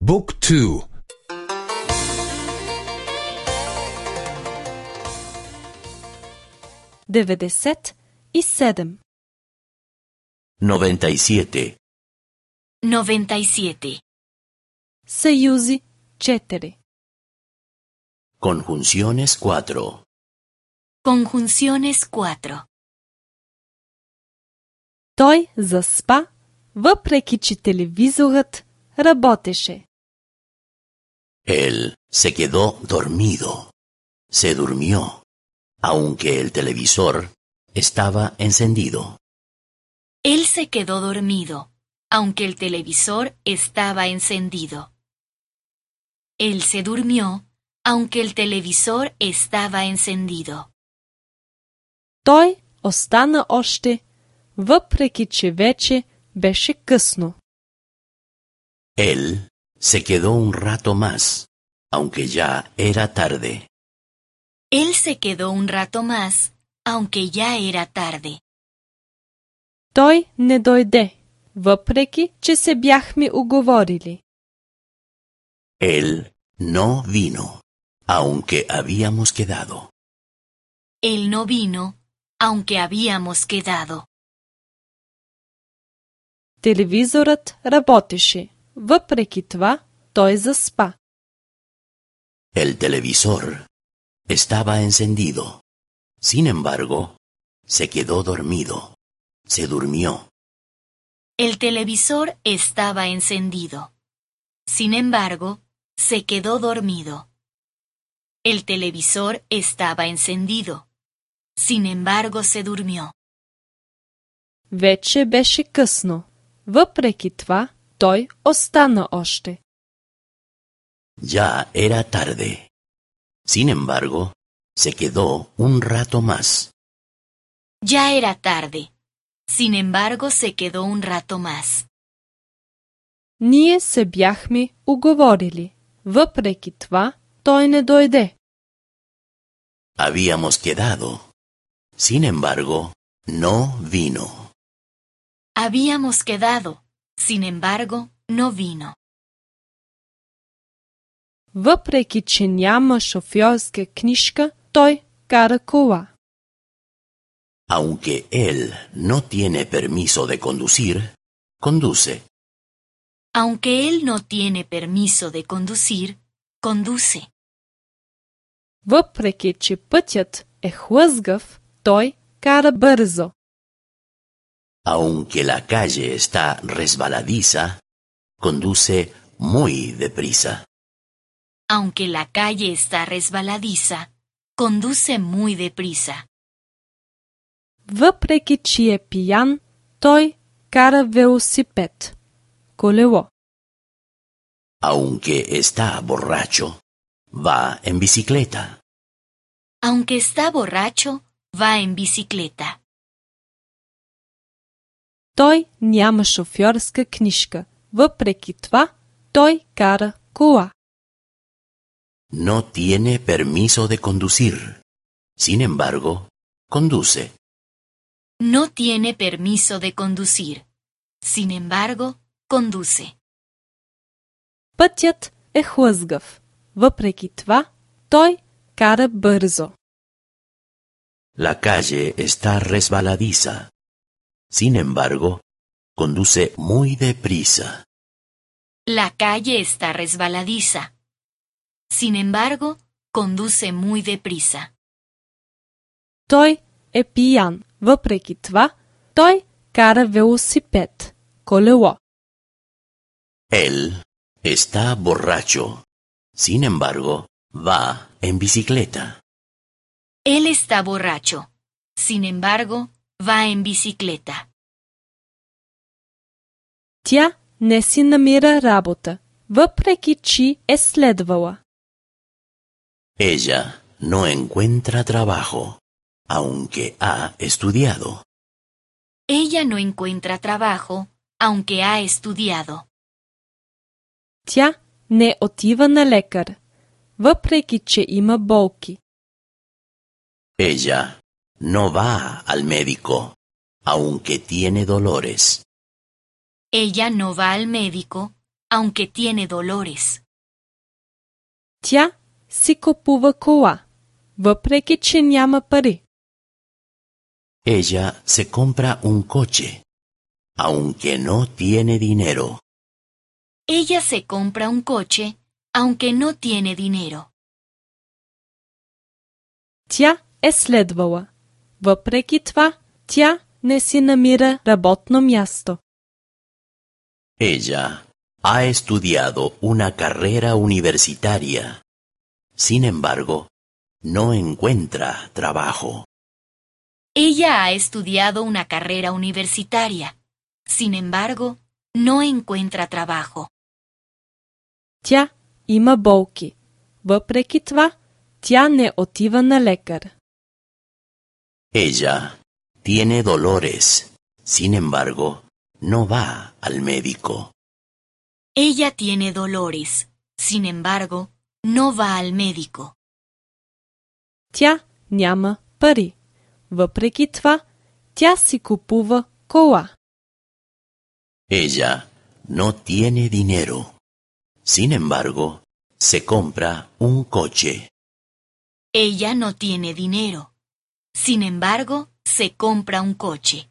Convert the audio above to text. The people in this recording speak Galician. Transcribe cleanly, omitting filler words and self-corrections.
Book 2. 97. 97. 97. Съюзи 4. Conjunciones 4. Conjunciones 4. Той заспа, въпреки че телевизорът работеше. Él se quedó dormido. Se durmió, aunque el televisor estaba encendido. Él se quedó dormido, aunque el televisor estaba encendido. Él se durmió, aunque el televisor estaba encendido. Той остана още, въпреки че вече беше късно. Él se quedó un rato más, aunque ya era tarde. Él se quedó un rato más, aunque ya era tarde. Той не дойде, въпреки че се бяхме уговорили. Él no vino, aunque habíamos quedado. Él no vino, aunque habíamos quedado. Телевизорът работеше, въпреки това той заспа. El televisor estaba encendido. Sin embargo, se quedó dormido. Se durmió. El televisor estaba encendido. Sin embargo, se quedó dormido. El televisor estaba encendido. Sin embargo, se durmió. Вече беше късно. Въпреки това, той остана още. Ya era tarde. Sin embargo, se quedó un rato más. Ya era tarde. Sin embargo, se quedó un rato más. Ние се бяхме уговорили. Въпреки това, той не дойде. Habíamos quedado. Sin embargo, no vino. Habíamos quedado. Sin embargo, no vino. Въпреки че няма шофьорска книжка, той кара кола. Aunque él no tiene permiso de conducir, conduce. Aunque él no tiene permiso de conducir, conduce. Въпреки че пътят е хлъзгав, той кара бързо. Aunque la calle está resbaladiza, conduce muy deprisa. Aunque la calle está resbaladiza, conduce muy deprisa. Въпреки че е пиян, той кара велосипед. Колело. Aunque está borracho, va en bicicleta. Aunque está borracho, va en bicicleta. Той няма шофьорска книжка. Въпреки това, той кара кола. No tiene permiso de conducir. Sin embargo, conduce. No tiene permiso de conducir. Sin embargo, conduce. Пътят е хлъзгав. Въпреки това, той кара бързо. La calle está resbaladiza. Sin embargo, conduce muy deprisa. La calle está resbaladiza. Sin embargo, conduce muy deprisa. Той е пиян. Въпреки това, той кара велосипед. Колело. Él está borracho. Sin embargo, va en bicicleta. Él está borracho. Sin embargo, va en bicicleta. Тя не си намира работа, въпреки че е следвала. Ella no encuentra trabajo, aunque ha estudiado. Ella no encuentra trabajo, aunque ha estudiado. Тя не отива на лекар, въпреки че има болки. Ella no va al médico, aunque tiene dolores. Ella no va al médico, aunque tiene dolores. Тя си купува кола, въпреки че няма пари. Ella se compra un coche, aunque no tiene dinero. Ella se compra un coche, aunque no tiene dinero. Тя е следвала. Въпреки това, тя не си намира работно място. Ella ha estudiado una carrera universitaria. Sin embargo, no encuentra trabajo. Ella ha estudiado una carrera universitaria. Sin embargo, no encuentra trabajo. Тя има болки. Въпреки това, тя не отива на лекар. Ella tiene dolores. Sin embargo, no va al médico. Ella tiene dolores. Sin embargo, no va al médico. Тя няма пари. Въпреки това, тя си купува кола. Ella no tiene dinero. Sin embargo, se compra un coche. Ella no tiene dinero. Sin embargo, se compra un coche.